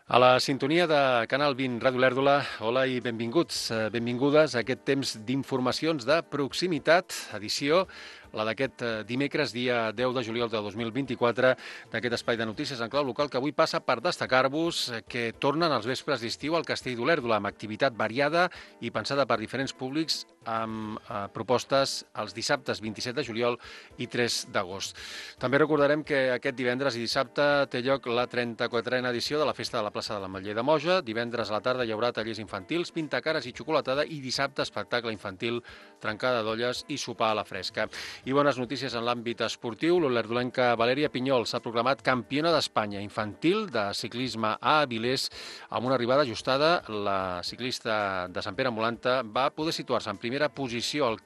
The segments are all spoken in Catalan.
A la sintonia de Canal 20 Ràdio Lèrdula, hola i benvinguts, benvingudes a aquest temps d'informacions de proximitat, edició, la d'aquest dimecres, dia 10 de juliol de 2024, d'aquest espai de notícies en clau local que avui passa per destacar-vos que tornen els vespres d'estiu al Castell d'Olèrdola amb activitat variada i pensada per diferents públics amb propostes els dissabtes 27 de juliol i 3 d'agost. També recordarem que aquest divendres i dissabte té lloc la 34a edició de la Festa de la Plaça de l'Ametller de Moja. Divendres a la tarda hi haurà tallers infantils, pintacares i xocolatada i dissabte espectacle infantil, trencada d'olles i sopar a la fresca. I bones notícies en l'àmbit esportiu. L'olerdolenca Valèria Pinyol s'ha proclamat campiona d'Espanya infantil de ciclisme a Avilés amb una arribada ajustada. La ciclista de Sant Pere Molanta va poder situar-se en primera posició al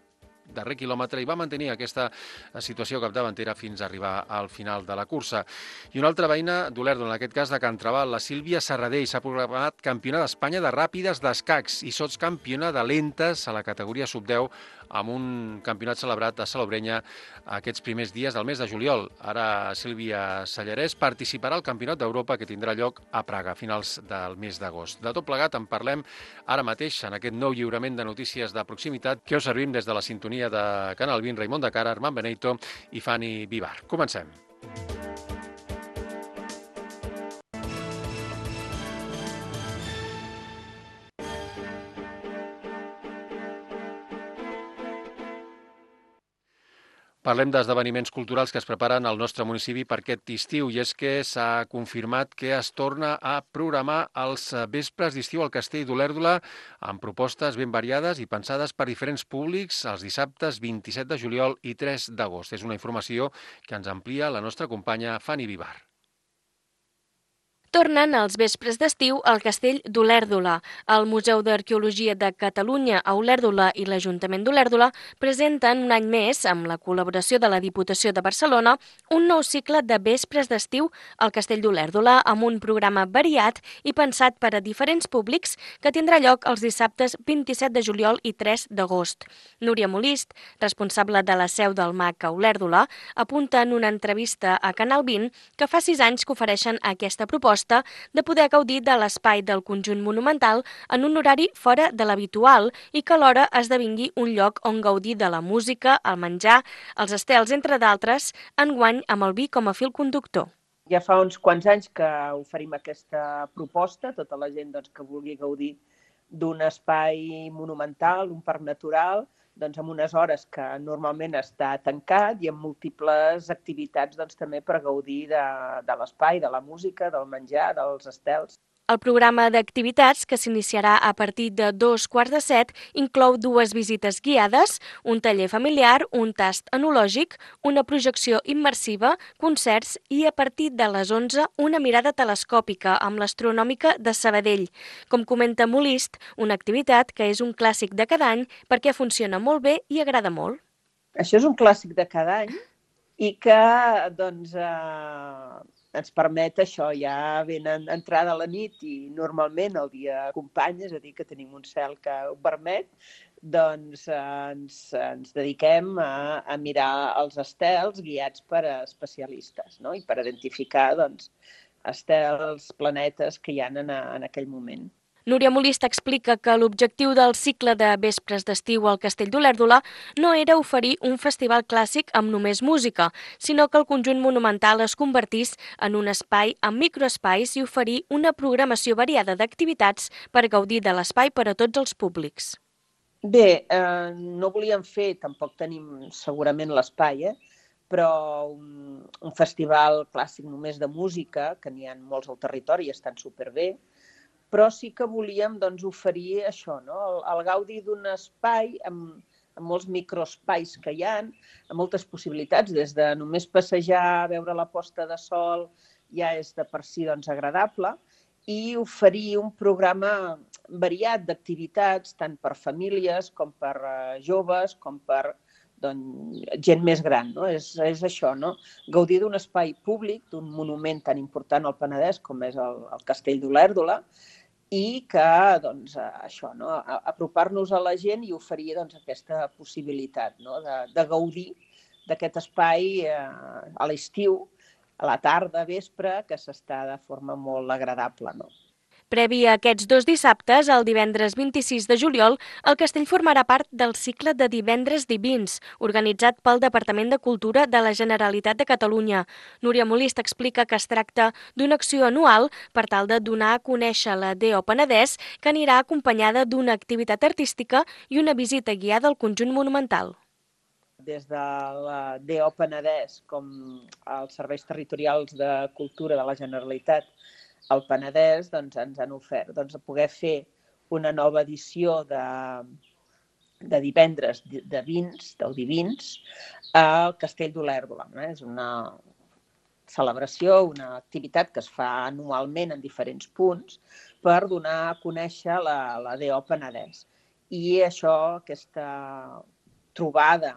darrer quilòmetre i va mantenir aquesta situació capdavantera fins a arribar al final de la cursa. I una altra veïna d'Olèrdola, en aquest cas de Can Trabal, la Sílvia Serradell, s'ha proclamat campiona d'Espanya de ràpides d'escacs i sotscampiona de lentes a la categoria sub-10 amb un campionat celebrat a Salobrenya aquests primers dies del mes de juliol. Ara Sílvia Sallarès participarà al Campionat d'Europa que tindrà lloc a Praga a finals del mes d'agost. De tot plegat en parlem ara mateix en aquest nou lliurament de notícies de proximitat que us servim des de la sintonia de Canal 20, Raimon de Cara, Armand Benito i Fanny Vivar. Comencem. Parlem d'esdeveniments culturals que es preparen al nostre municipi per aquest estiu i és que s'ha confirmat que es torna a programar els vespres d'estiu al Castell d'Olèrdola amb propostes ben variades i pensades per diferents públics els dissabtes 27 de juliol i 3 d'agost. És una informació que ens amplia la nostra companya Fanny Vivar. Tornen els vespres d'estiu al Castell d'Olèrdola. El Museu d'Arqueologia de Catalunya a Olèrdola i l'Ajuntament d'Olèrdola presenten un any més, amb la col·laboració de la Diputació de Barcelona, un nou cicle de vespres d'estiu al Castell d'Olèrdola amb un programa variat i pensat per a diferents públics que tindrà lloc els dissabtes 27 de juliol i 3 d'agost. Núria Molist, responsable de la seu del MAC a Olèrdola, apunta en una entrevista a Canal 20 que fa 6 anys que ofereixen aquesta proposta de poder gaudir de l'espai del conjunt monumental en un horari fora de l'habitual i que alhora esdevingui un lloc on gaudir de la música, el menjar, els estels, entre d'altres, enguany amb el vi com a fil conductor. Ja fa uns quants anys que oferim aquesta proposta, tota la gent que vulgui gaudir d'un espai monumental, un parc natural, amb unes hores que normalment està tancat i amb múltiples activitats també per gaudir de l'espai, de la música, del menjar, dels estels. El programa d'activitats, que s'iniciarà a partir de 2:15, inclou 2 visites guiades, un taller familiar, un tast enològic, una projecció immersiva, concerts i, a partir de les 11, una mirada telescòpica amb l'Astronòmica de Sabadell. Com comenta Molist, una activitat que és un clàssic de cada any perquè funciona molt bé i agrada molt. Això és un clàssic de cada any i que, ens permet això, ja ben entrada la nit i normalment el dia acompanya, és a dir, que tenim un cel que ho permet, ens dediquem a mirar els estels guiats per especialistes, no? I per identificar estels, planetes que hi ha en aquell moment. Núria Molist explica que l'objectiu del cicle de vespres d'estiu al Castell d'Olèrdola no era oferir un festival clàssic amb només música, sinó que el conjunt monumental es convertís en un espai amb microespais i oferir una programació variada d'activitats per gaudir de l'espai per a tots els públics. Bé, no volíem fer, tampoc tenim segurament l'espai, però un festival clàssic només de música, que n'hi ha molts al territori i estan superbé, però sí que volíem oferir això, no? El gaudi d'un espai amb molts microespais que hi ha, amb moltes possibilitats, des de només passejar, veure la posta de sol, ja és de per si agradable, i oferir un programa variat d'activitats, tant per famílies com per joves, com per gent més gran, no? És això, no? Gaudir d'un espai públic, d'un monument tan important al Penedès com és el Castell d'Olèrdola, i que, això, no? Apropar-nos a la gent i oferir aquesta possibilitat, no? De gaudir d'aquest espai a l'estiu, a la tarda, a vespre, que s'està de forma molt agradable, no? Previ a aquests 2 dissabtes, el divendres 26 de juliol, el castell formarà part del cicle de Divendres Divins, organitzat pel Departament de Cultura de la Generalitat de Catalunya. Núria Molist explica que es tracta d'una acció anual per tal de donar a conèixer la DO Penedès, que anirà acompanyada d'una activitat artística i una visita guiada al conjunt monumental. Des de la DO Penedès com els serveis territorials de cultura de la Generalitat al Penedès ens han ofert poder fer una nova edició de divendres de vins, del Divins, al Castell d'Olèrdola. És una celebració, una activitat que es fa anualment en diferents punts per donar a conèixer la DO Penedès. I aquesta trobada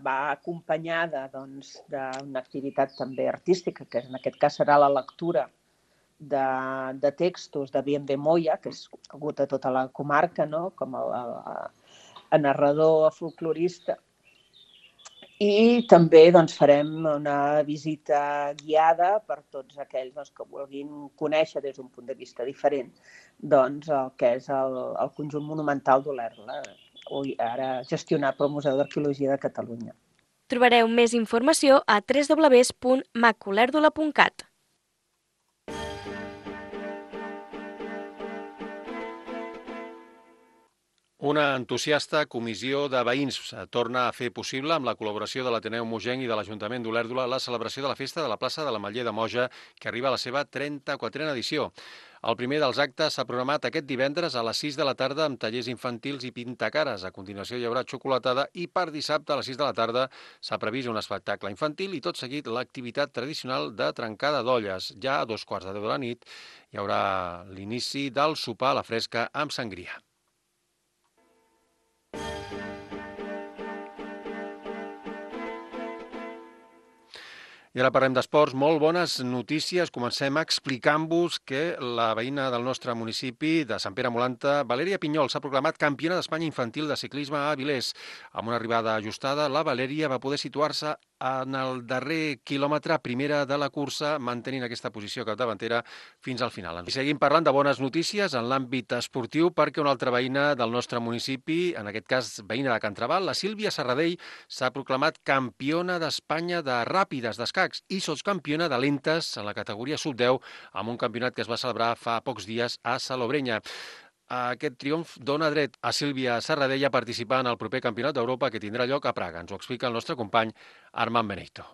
va acompanyada d'una activitat també artística, que en aquest cas serà la lectura de textos de Bien Moya, que és conegut a tota la comarca, com a narrador folclorista. I també farem una visita guiada per tots aquells que vulguin conèixer des d'un punt de vista diferent el que és el conjunt monumental d'Olèrdola, ara gestionat pel Museu d'Arqueologia de Catalunya. Trobareu més informació a www.macolèrdola.cat. Una entusiasta comissió de veïns torna a fer possible, amb la col·laboració de l'Ateneu Mogenc i de l'Ajuntament d'Olèrdola, la celebració de la festa de la plaça de l'Ametller de Moja, que arriba a la seva 34a edició. El primer dels actes s'ha programat aquest divendres a les 6 de la tarda amb tallers infantils i pintacares. A continuació hi haurà xocolatada i per dissabte a les 6 de la tarda s'ha previst un espectacle infantil i tot seguit l'activitat tradicional de trencada d'olles. Ja a 2:15 de la nit hi haurà l'inici del sopar a la fresca amb sangria. I ara parlem d'esports. Molt bones notícies. Comencem explicant-vos que la veïna del nostre municipi de Sant Pere Molanta, Valèria Pinyol, s'ha proclamat campiona d'Espanya infantil de ciclisme a Avilés. Amb una arribada ajustada, la Valèria va poder situar-se en el darrer quilòmetre primera de la cursa, mantenint aquesta posició capdavantera fins al final. I seguim parlant de bones notícies en l'àmbit esportiu perquè una altra veïna del nostre municipi, en aquest cas veïna de Can Trabal, la Sílvia Serradell, s'ha proclamat campiona d'Espanya de ràpides d'escacs i sotscampiona de lentes en la categoria sub-10 amb un campionat que es va celebrar fa pocs dies a Salobreña. Aquest triomf dona dret a Sílvia Serradell a participar en el proper Campionat d'Europa que tindrà lloc a Praga. Ens ho explica el nostre company Armand Benito.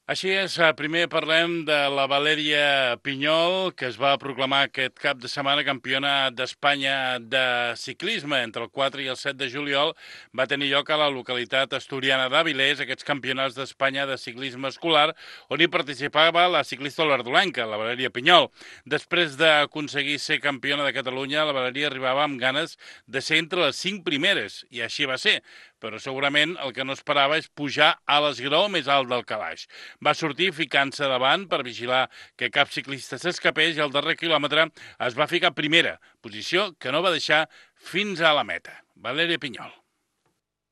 Així és, primer parlem de la Valèria Pinyol, que es va proclamar aquest cap de setmana campiona d'Espanya de ciclisme. Entre el 4 i el 7 de juliol va tenir lloc a la localitat asturiana d'Avilés aquests campionats d'Espanya de ciclisme escolar, on hi participava la ciclista olèrdolenca, la Valèria Pinyol. Després d'aconseguir ser campiona de Catalunya, la Valèria arribava amb ganes de ser entre les 5 primeres, i així va ser. Però segurament el que no esperava és pujar a l'esgraó més alt del calaix. Va sortir ficant-se davant per vigilar que cap ciclista s'escapés i al darrer quilòmetre es va ficar primera, posició que no va deixar fins a la meta. Valèria Pinyol.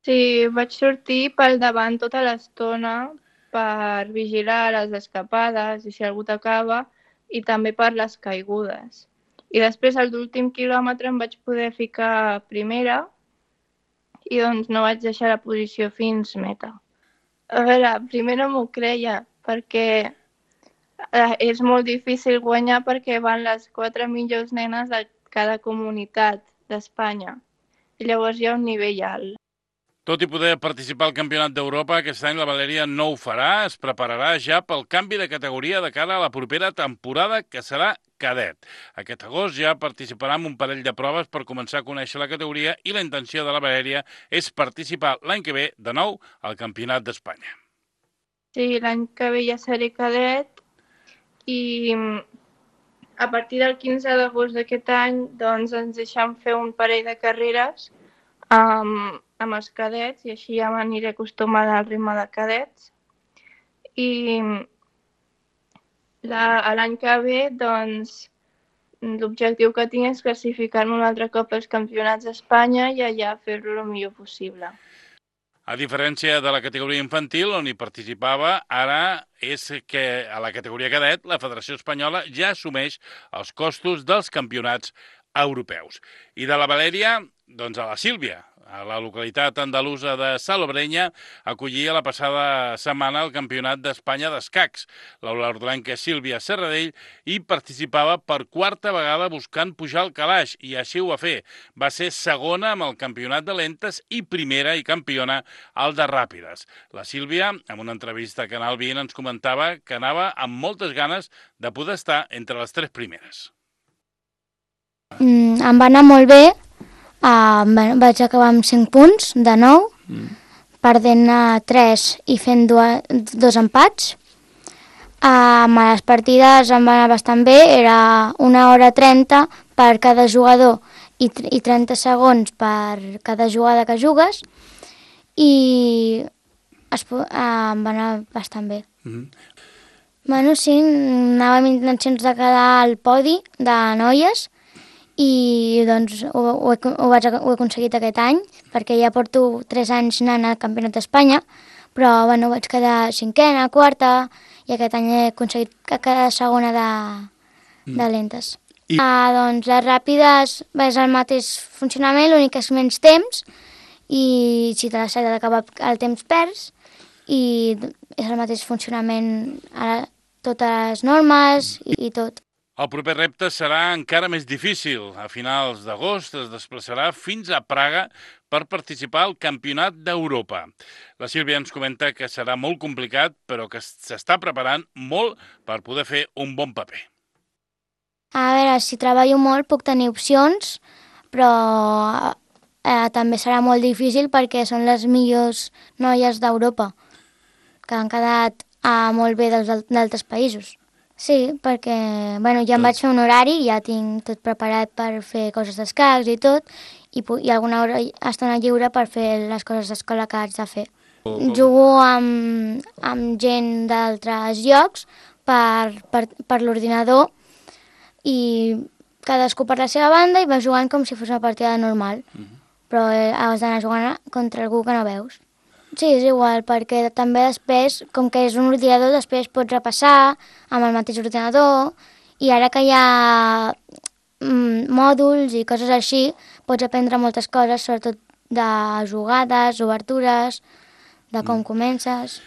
Sí, vaig sortir pel davant tota l'estona per vigilar les escapades i si algú t'acaba i també per les caigudes. I després, a l'últim quilòmetre, em vaig poder ficar primera i doncs no vaig deixar la posició fins meta. A veure, primer no m'ho creia perquè és molt difícil guanyar perquè van les 4 millors nenes de cada comunitat d'Espanya. I llavors hi ha un nivell alt. Tot i poder participar al Campionat d'Europa, aquest any la Valèria no ho farà, es prepararà ja pel canvi de categoria de cara a la propera temporada, que serà cadet. Aquest agost ja participarà en un parell de proves per començar a conèixer la categoria i la intenció de la Valèria és participar l'any que ve de nou al Campionat d'Espanya. Sí, l'any que ve ja seré cadet i a partir del 15 d'agost d'aquest any doncs ens deixen fer un parell de carreres amb els cadets i així ja m'aniré acostumant al ritme de cadets. I l'any que ve, doncs, l'objectiu que tinc és classificar-me un altre cop als campionats d'Espanya i allà fer-lo el millor possible. A diferència de la categoria infantil, on hi participava, ara és que a la categoria cadet la Federació Espanyola ja assumeix els costos dels campionats europeus. I de la Valèria, doncs a la Sílvia, a la localitat andalusa de Salobrenya, acollia la passada setmana el Campionat d'Espanya d'escacs. L'olordolenca Sílvia Serradell hi participava per quarta vegada buscant pujar al calaix, i així ho va fer. Va ser segona amb el Campionat de lentes i primera i campiona al de ràpides. La Sílvia, en una entrevista a Canal 20, ens comentava que anava amb moltes ganes de poder estar entre les 3 primeres. Em va anar molt bé. Vaig acabar amb 5 punts de 9, perdent 3 i fent 2 empats. A les partides em va anar bastant bé, era 1 hora 30 per cada jugador i 30 segons per cada jugada que jugues, i em va anar bastant bé. Bueno, sí, anava amb intencions de quedar al podi de noies, i doncs ho he aconseguit aquest any, perquè ja porto 3 anys anant al Campionat d'Espanya, però bueno, vaig quedar 5a, 4a, i aquest any he aconseguit quedar segona de lentes. Doncs les ràpides és el mateix funcionament, l'únic que és menys temps, i si te les has d'acabar el temps perds, i és el mateix funcionament, totes les normes i tot. El proper repte serà encara més difícil. A finals d'agost es desplaçarà fins a Praga per participar al Campionat d'Europa. La Sílvia ens comenta que serà molt complicat, però que s'està preparant molt per poder fer un bon paper. A veure, si treballo molt puc tenir opcions, però també serà molt difícil perquè són les millors noies d'Europa, que han quedat molt bé d'altres països. Sí, perquè ja em vaig fer un horari, ja tinc tot preparat per fer coses d'escacs i tot, i alguna estona lliure per fer les coses d'escola que haig de fer. Jugo amb gent d'altres llocs per l'ordinador, i cadascú per la seva banda i va jugant com si fos una partida normal, però has d'anar jugant contra algú que no veus. Sí, és igual, perquè també després, com que és un ordinador, després pots repassar amb el mateix ordinador, i ara que hi ha mòduls i coses així, pots aprendre moltes coses, sobretot de jugades, obertures, de com comences.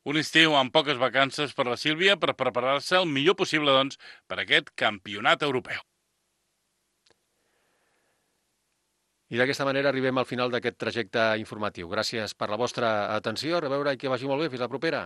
Un estiu amb poques vacances per la Sílvia per preparar-se el millor possible, doncs, per aquest campionat europeu. I d'aquesta manera arribem al final d'aquest trajecte informatiu. Gràcies per la vostra atenció, a reveure i que vagi molt bé. Fins la propera.